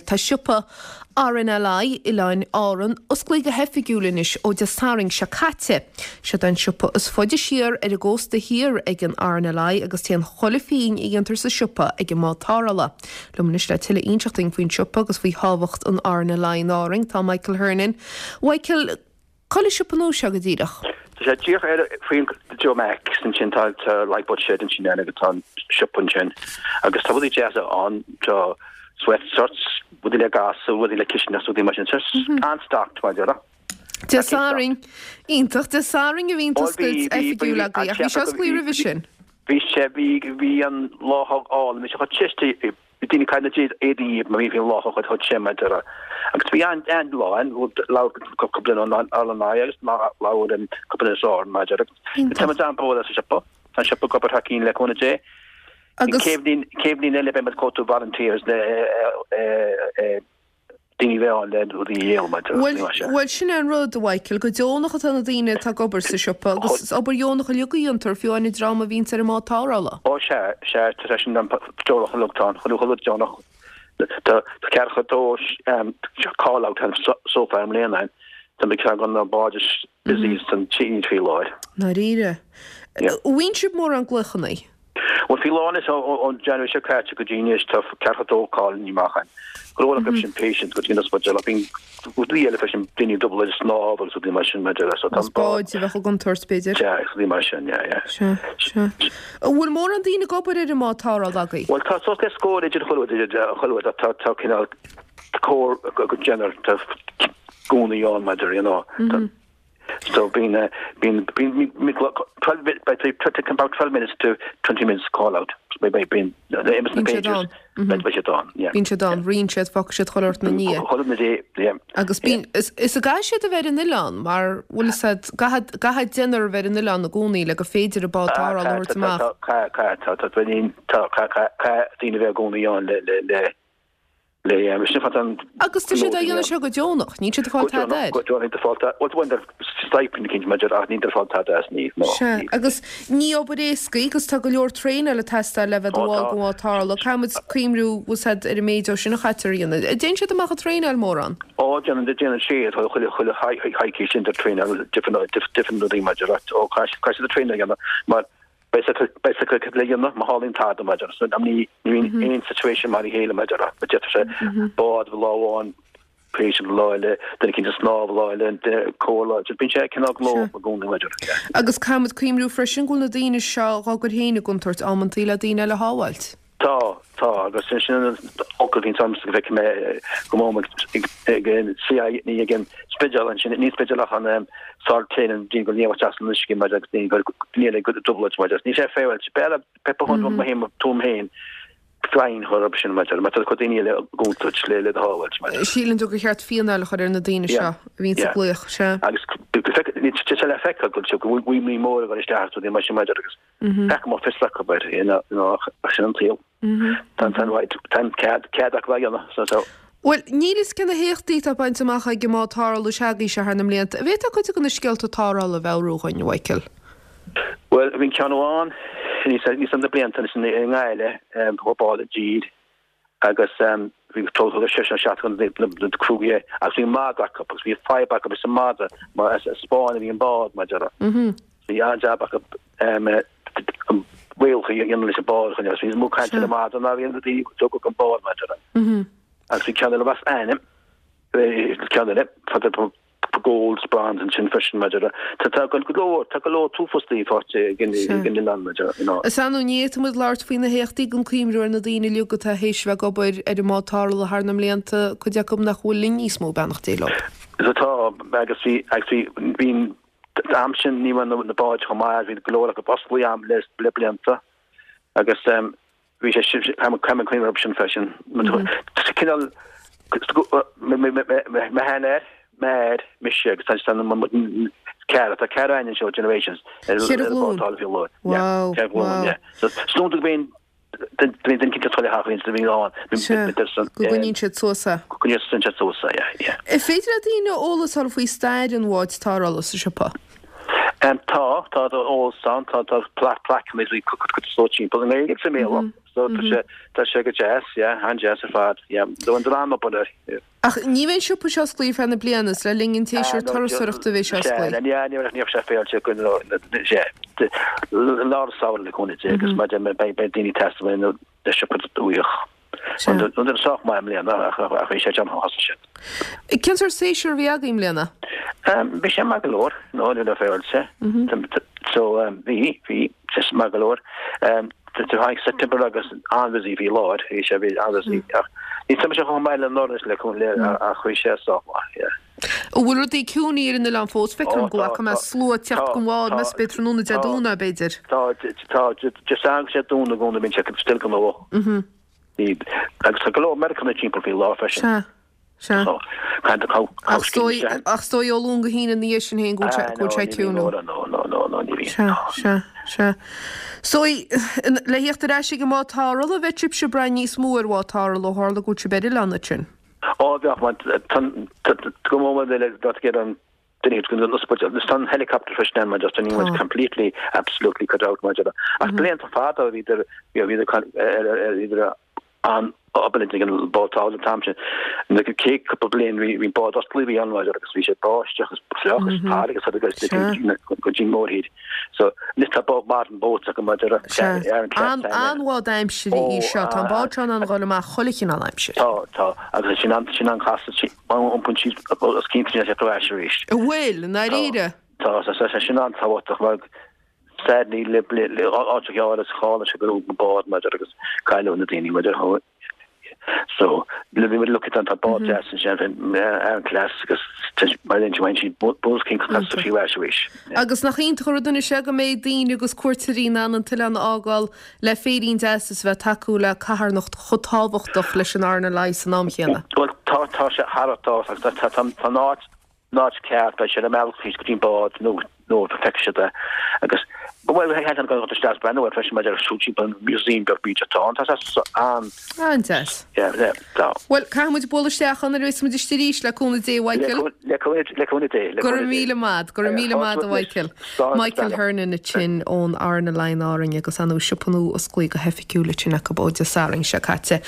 Tá siopa RNLI Oileáin Árann osclaithe go hoifigiúil anois ó Dé Sathairn seo caite. Seod é an siopa is faide siar ar an gcósta thiar ag an RNLI agus téann chuile phingin a dhéantar sa siopa ag an mbád tarrthála. Liom anois le tuilleadh a inseacht dúinn faoin siopa agus faoi thábhacht an RNLI in Árainn tá Michael Hernon. Michael, Cá bhfuil an siopa nua seo go díreach? Tá sé díreach ar faoin Joe Macs ansin tá tá lifeboat shed ansin ann agus tá an siopa ansin agus tá rudaí deasa ann tá sweat shirts rudaí le gasa rudaí le cistineach rudaí mar sin tá an-stocked mar déarfá. Dé Sathairn. Iontach. Dé Sathairn a bhí an t-oscailt oifigiúil agaibh ach bhí sé osclaithe roimhe sin. Bhí sé bhí bhí an lá álainn bhí sé chomh te Bhí daoine ag caitheamh na éadaí mar bhí an lá chomh te mar déarfá. Agus bhí an-lá ann, labhair cúpla duine ón RNLI agus labhair cúpla duine as Árainn mar déarfá. Tá muid an-bródúil as an siopa. Tá an siopa ag obair thar cinn le cúnamh Dé. Agus. Céad bhliain eile beidh muid ag cuartú volunteers le daoine a bheith ann le rudaí a dhíol mar déarfá. Bhuel, sin é an rud, a Mhichael, go deonach atá na daoine atá ag obair sa siopa agus is obair dheonach uilig a dhéantar, fiú amháin an dream a bhíonns ar an mbád tarrthála. Ó sea, sea, tá sé sin deonach uilig, tá an chuile rud deonach. Tá ceathracha dó call out so far i mbliana, tá muid ceann de na báid is busy san tír faoi láthair. Ndáiríre. An bhfaigheann sibh mórán glaochanna? Bhuel, faoi láthair anois, ón January seo caite go dtí anois, tá 42 call amach ann. Go leor acu sin patients go dtí an ospidéal ach bíonn rudaí eile freisin, daoine ag dul ag snámh agus rudaí mar sin maidir le so tá an báid a bheadh i gcontúirt, b'fhéidir. Sea, agus rudaí mar sin, yeah, yeah. Sea, sea. An bhfuil mórán daoine ag obair ar an mbád tarrthála agaibh? Bhuel, tá suas le scór idir chuile rud, idir chuile rud, tá, tá cineál cóir go deinear, tá gúnaí ann maidir, you know. Tá, So bíonn, bíonn, bíonn, 12, beidh about 12 minutes to 20 minutes call out. Beidh, bíonn, na siad ann. Beidh siad ann, yeah. Bíonn siad ann, ritheann siad, fágfaidh siad chuile shórt ina ndiaidh. Chuile ina ndiaidh, yeah. Agus bíonn, is, is an gcaithfidh siad a bheith ar an oileán mar, bhfuil fhios a'd, caithfidh, caithfidh deichniúr a bheith ar an oileán i gcónaí le gur féidir an bád tarrthála a thabhairt amach. Caithfidh, caithfidh, tá, tá, tá, caithfidh daoine a bheith i gcónaí ann le, le, le, Agus tá siad á dhéanamh seo go deonach, níl siad ag fáil tada air. Sea, agus ní obair éasca í agus tá go leor traenáil ag teastáil le bheith i do bhall den bhád tarrthála. Caithfidh muid cuimhniú, bhfuil fhios a'd, ar an méid dó sin a chaitear a dhéanamh. An dtéann siad amach ag traenáil mórán? Ó, déanann, déanann siad, chuile, chuile choicís sin de traenáil, different, different rudaí maidir, ó, caithfidh siad traenáil a dhéanamh mar Beidh fhios acu cad le dhéanamh má tharlaíonn tada mar déarfá. So ní bhíonn aon situation mar a chéile mar déarfá. D'fhéadfadh sé bád lá amháin, patient lá eile, duine eicínt ag snámh lá eile, duine cóir lá eile. Bíonn sé cineál gnóthach i gcónaí mar déarfá. Agus caithfidh muid cuimhniú freisin go bhfuil na daoine seo dhá gcur féin i gcontúirt amantaí le daoine eile a shábháilt. Tá, tá, agus sin an fhocal a bhíonns agamsa go bhfeicfidh mé go mór ag an CI, ní ag an Spidéal ansin, ní Spidéal ach an sár téann daoine go léamh isteach san uisce mar agus daoine go léamh go dubhailt mar Níl sé féaráilte. B'fhearr Pepper Hunt mo théama tuaim féin fine chur orthu sin mar mar tá cuid daoine eile i gcontúirt le le do shábháilt mar. Síleann tú gur cheart fíneáil a chur ar na daoine seo a bhíonns ag glaoch, sea. Agus tá sé le feiceáil go bhfuil imní mór ag dul isteach agus rudaí mar sin mar agus Gach a mbeadh fios acu air, ach sin an saol. Tá an cead acu a dhéanamh. So. Bhuel, níl fhios cé na héachtaí atá bainte amach ag an mbád tarrthála s'agaibhse thar na mblianta. An bhféadfá cuid de na scéalta tarrthála a mheabhrú dhuinn, a Mhichael? Bhuel, bhí ceann amháin níos na blianta anois i nGaillimh, chuaigh bád i dtír agus bhí total de 6 nó 7 de na criú agus bhí madra acu agus bhí fadhb acu leis an madra mar as Spáinn a bhí an bád mar déarfá. Bhí an-jab acu réaltaí a dhéanamh leis an bád chun agus bhí níos mó cainte ar an madra ná bhí an rudaí a tógadh an bád mar déarfá. Agus bhí ceann eile as ainm ceann eile fada gold, bronze ansin freisin maidir le, tá tá go leor, tá go leor tuafostaí faighte ag an ag an oileán maidir you know. Is annamh ní fhéadfaidh muid labhairt faoi na héachtaí gan cuimhniú ar na daoine uilig atá théis bheith ag obair ar an mbád tarrthála thar na mblianta, cuid acu nach bhfuil linn níos mó, beannacht Dé leo. Is atá, agus bhí, agus bhí, bhí an t-am sin ní raibh na na báid chomh maith, bhí go leor acu osclaithe am le le blianta agus ehm Bhí sé sin, caithfidh mé cuimhneamh orthu sin freisin. Cineál, mo sheanathair, m'athair, mise agus tá ceathrar, tá ceathrar againn anseo, generations, ar an bád tarrthála faoi láthair. Wow, wow. So, is dóigh go mbíonn duine eicínt ag toil a theach féin, bhíonn ann. Go gcoinníonn siad suas é. Go gcoinníonn siad suas é, yeah, yeah. An féidir le daoine eolas a fháil faoi stair an bháid tarrthála sa siopa? Tá, tá eolas ann, tá tá plaiceanna is cuid is timpeall i nGaeilge agus i mBéarla. So tá sé tá sé go deas, yeah, an-deas ar fad, yeah. Tá an an-obair air, yeah. Ach ní bheidh an siopa seo osclaithe ar feadh na bliana, is le linn an tséasúir turasóireachta a bheidh sé osclaithe. Sea, ní bheidh sé féilte go sea, lár an samhradh le cúnamh Dé agus maidir beidh daoine ag teastáil na siopa uaidh. An duine sách maith i mbliana ach bhí sé dearfach thosaigh siad. Cén sórt séasúr a bhí agaibh i mbliana? Bhí sé maith go leor, nó le féilte. So bhí, bhí, sé maith go leor. Tháinig September agus an-busy bhí lár, bhí sé bhí an-busy ach ní tá sé chomh maith le anuraidh le ach bhí sé sách maith, yeah. An bhfuil rudaí ciúin ar an oileán fós? Feictear dom go bhfaca mé slua ag teacht den bhád, meas tú tráthnóna Dé Domhnaigh, b'fhéidir? Tá, tá, just an sé dúnadh i gcónaí bíonn sé still gnóthach. Agus tá go leor Meiriceánaigh timpeall faoi láthair freisin. Sea, sea. Ach is dóigh, ach is dóigh ó Luan go hAoine ina dhiaidh sin féin go bhfuil sé ciúin. No, no, no, no, no, ní bhíonn. Sea, sea, sea. Is dóigh, le thíocht ar ais ag an mbád tarrthála, bheadh sibhse ag brath níos mó ar bhád tarrthála ó tharla go bhfuil sibh ar oileán ansin. Ó bheadh, mar go mór le get an duine go an ospidéal. Tá an helicopter freisin ann mar just an was completely absolutely cut out mar ach blianta fada bhíodar bhíodar bhíodar an obair ag an bád tarrthála an t-am sin. Na céad cúpla bliain bhí bhí bád osclaí bhí ann mar agus bhí sé báisteach agus fliuch agus tar agus agus go dtí mórthír. So anois tá bád modern boats acu mar ar an An-bhád aimsire í seo. Tá an bád seo in ann a dhul amach chuile chineál aimsir. Tá, tá. Agus sin an sin an cás iompaíonn siad os cionn sin ar ais arís. An bhfuil, i ndáiríre? Tá, tá sin an-tábhachtach mar sadly le áit a ghearr is chála sé go raibh bád mar agus cailleadh na daoine mar So, le bhí look at an tá bád deas ansin Aran class agus mar linn bhain siad bus cinn casta fiú ais arís. Agus nach iontach an rud anois é go mbeidh daoine agus cuairteoirí in ann an t-oileán a fhágáil le féirín deas is a bheith ag tacú le carthanacht chomh tábhachtach leis an RNLI san am chéanna. Bhuel tá tá sé thar a tá tá tá tá an áit an áit ceart, beidh sé ar an mbealach thíos go dtí an bád nó nó feicfidh siad é agus bhuel theann an go isteach breathnú air freisin maidir le siúl timpeall an museum beag bídeach atá ann tá sé an An-deas. Yeah, yeah, tá. Bhuel, caithfidh muid bualadh isteach ann nuair a bheas muid istigh arís, le cúnamh Dé, a Mhichael. Le cúnamh le cúnamh Dé, le Go raibh míle maith, go raibh míle maith a Mhichael. Michael Hernon ansin ón RNLI in Árainn agus an siopa nua osclaithe go hoifigiúil ansin acu ó Dé Sathairn seo caite.